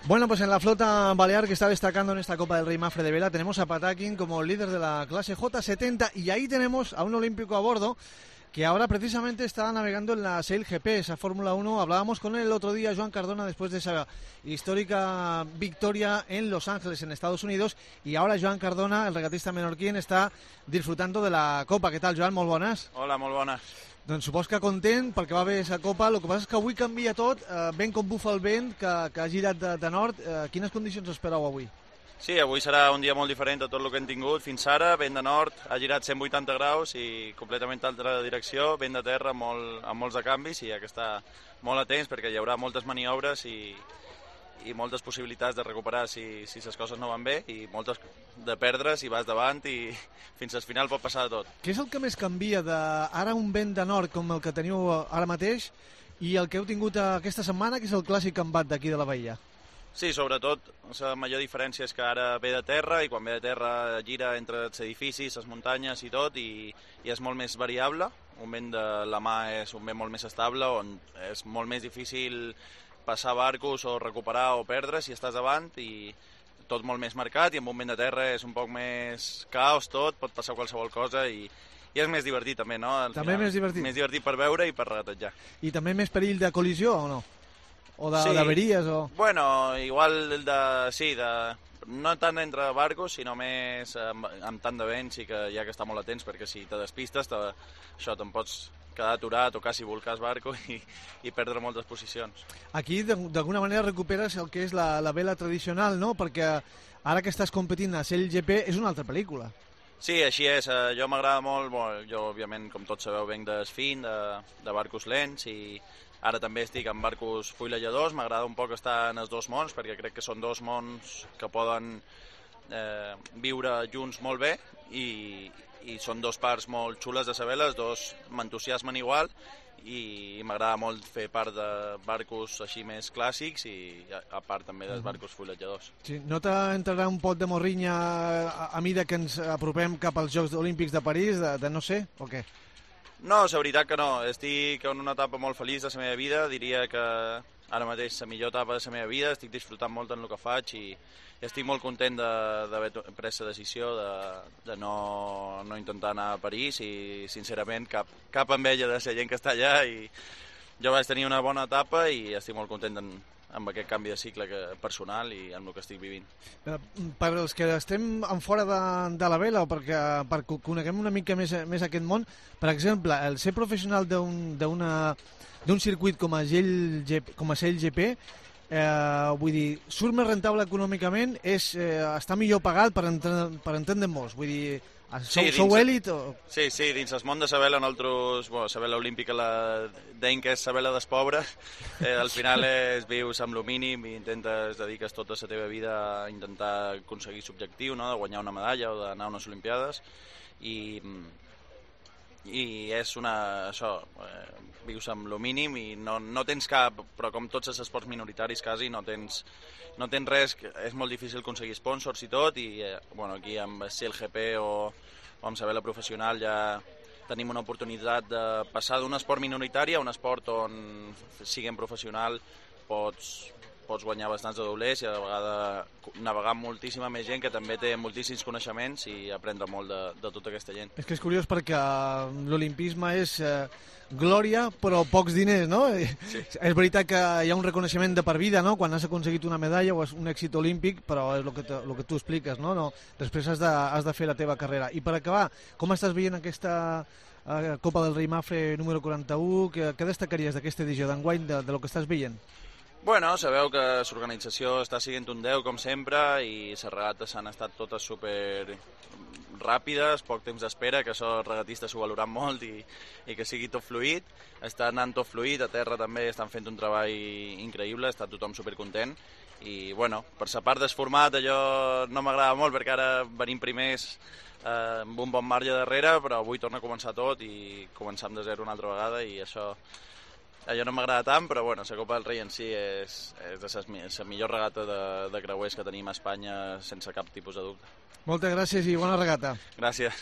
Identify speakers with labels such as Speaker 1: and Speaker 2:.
Speaker 1: Bueno, pues en la flota balear que está destacando en esta Copa del Rey Mafre de Vela tenemos a Patakin como líder de la clase J70 y ahí tenemos a un olímpico a bordo que ahora precisamente está navegando en la Sail GP, esa Fórmula 1. Hablábamos con él el otro día, Joan Cardona, después de esa histórica victoria en Los Ángeles, en Estados Unidos, y ahora Joan Cardona, el regatista menorquín, está disfrutando de la Copa. ¿Qué tal, Joan? Molt bones.
Speaker 2: Hola, molt bones.
Speaker 1: Doncs supos que content perquè va bé esa Copa. El que passa és que avui canvia tot, ben com bufa el vent, que ha girat de nord. Quines condicions espereu avui?
Speaker 2: Sí, avui serà un dia molt diferent de tot el que hem tingut fins ara. Vent de nord, ha girat 180 graus i completament altra direcció. Vent de terra amb molts de canvis i hi ha que estar molt atents perquè hi haurà moltes maniobres i moltes possibilitats de recuperar si les coses no van bé i moltes de perdre si vas davant i fins al final pot passar de tot.
Speaker 1: Què és el que més canvia d'ara un vent de nord com el que teniu ara mateix i el que heu tingut aquesta setmana, que és el clàssic embat d'aquí de la Bahia?
Speaker 2: Sí, sobretot la major diferència és que ara ve de terra i quan ve de terra gira entre els edificis, les muntanyes i tot i és molt més variable. Un vent de la mà és un vent molt més estable on és molt més difícil passar barcos o recuperar o perdre si estàs davant i tot molt més marcat i amb un vent de terra és un poc més caos tot, pot passar qualsevol cosa i és més divertit també, no?
Speaker 1: També més divertit?
Speaker 2: Més divertit per veure i per regatejar.
Speaker 1: I també més perill de col·lisió o no? O d'averies o...
Speaker 2: Bueno, igual no tant entre barcos, sinó més amb tant de vent sí que hi ha que estar molt atents perquè si te despistes això te'n pots quedar aturat o quasi volcar el barco i perdre moltes posicions.
Speaker 1: Aquí d'alguna manera recuperes el que és la vela tradicional, no? Perquè ara que estàs competint a Sail GP és una altra pel·lícula.
Speaker 2: Sí, així és. Jo m'agrada molt, jo òbviament com tots sabeu venc d'esfin, de barcos lents i ara també estic en barcos fuilejadors. M'agrada un poc estar en els dos mons perquè crec que són dos mons que poden viure junts molt bé i són dos parts molt xules de la vela, els dos m'entusiasmen igual i m'agrada molt fer part de barcos així més clàssics i a part també dels barcos fuilejadors.
Speaker 1: Sí, no t'entrarà un pot de morrinya a mida que ens apropem cap als Jocs Olímpics de París, de no sé, o què?
Speaker 2: No, la veritat que no. Estic en una etapa molt feliç de la meva vida. Diria que ara mateix la millor etapa de la meva vida. Estic disfrutant molt en el que faig i estic molt content d'haver pres la decisió de no intentar anar a París i sincerament cap enveja de la gent que està allà i jo vaig tenir una bona etapa i estic molt content amb aquest canvi de cicle personal i amb el que estic vivint.
Speaker 1: Per als que estem en fora de la vela o perquè coneguem una mica més aquest món, per exemple, el ser professional d'un circuit com a Sail GP, vull dir, surt més rentable econòmicament, està millor pagat per entendre molts, vull dir, sou èlit o...
Speaker 2: Sí, dins el món de la vela nosaltres, la vela olímpica deim que és la vela dels pobres, al final vius amb el mínim i dediques tota la teva vida a intentar aconseguir l'objectiu, no? De guanyar una medalla o d'anar a unes Olimpiades i és vius amb el mínim i no tens cap, però com tots els esports minoritaris quasi no tens res, és molt difícil aconseguir sponsors i tot i aquí amb Sail GP o amb la vela professional ja tenim una oportunitat de passar d'un esport minoritari a un esport on siguem professional pots guanyar bastants de doblers i a la vegada navegar amb moltíssima més gent que també té moltíssims coneixements i aprendre molt de tota aquesta gent.
Speaker 1: És que és curiós perquè l'olimpisme és glòria però pocs diners, no? Sí. És veritat que hi ha un reconeixement de per vida, no? Quan has aconseguit una medalla o un èxit olímpic, però és el que tu expliques, no? Després has de fer la teva carrera. I per acabar, com estàs veient aquesta Copa del Rei Mafre número 41? Què destacaries d'aquesta edició d'enguany de lo que estàs veient?
Speaker 2: Bueno, sabeu que l'organització està sent un 10 com sempre i les regates han estat totes super ràpides, poc temps d'espera, que això els regatistes ho valoran molt i que sigui tot fluid. Està anant tot fluid, a terra també estan fent un treball increïble, està tothom supercontent i bueno, per la part del format allò no m'agrada molt perquè ara venim primers amb un bon marge darrere, però avui torna a començar tot i començar de zero una altra vegada i això no m'agrada tant, però bueno, la Copa del Rei en si és la millor regata de creuers que tenim a Espanya sense cap tipus de dubte.
Speaker 1: Moltes gràcies i bona regata.
Speaker 2: Gràcies.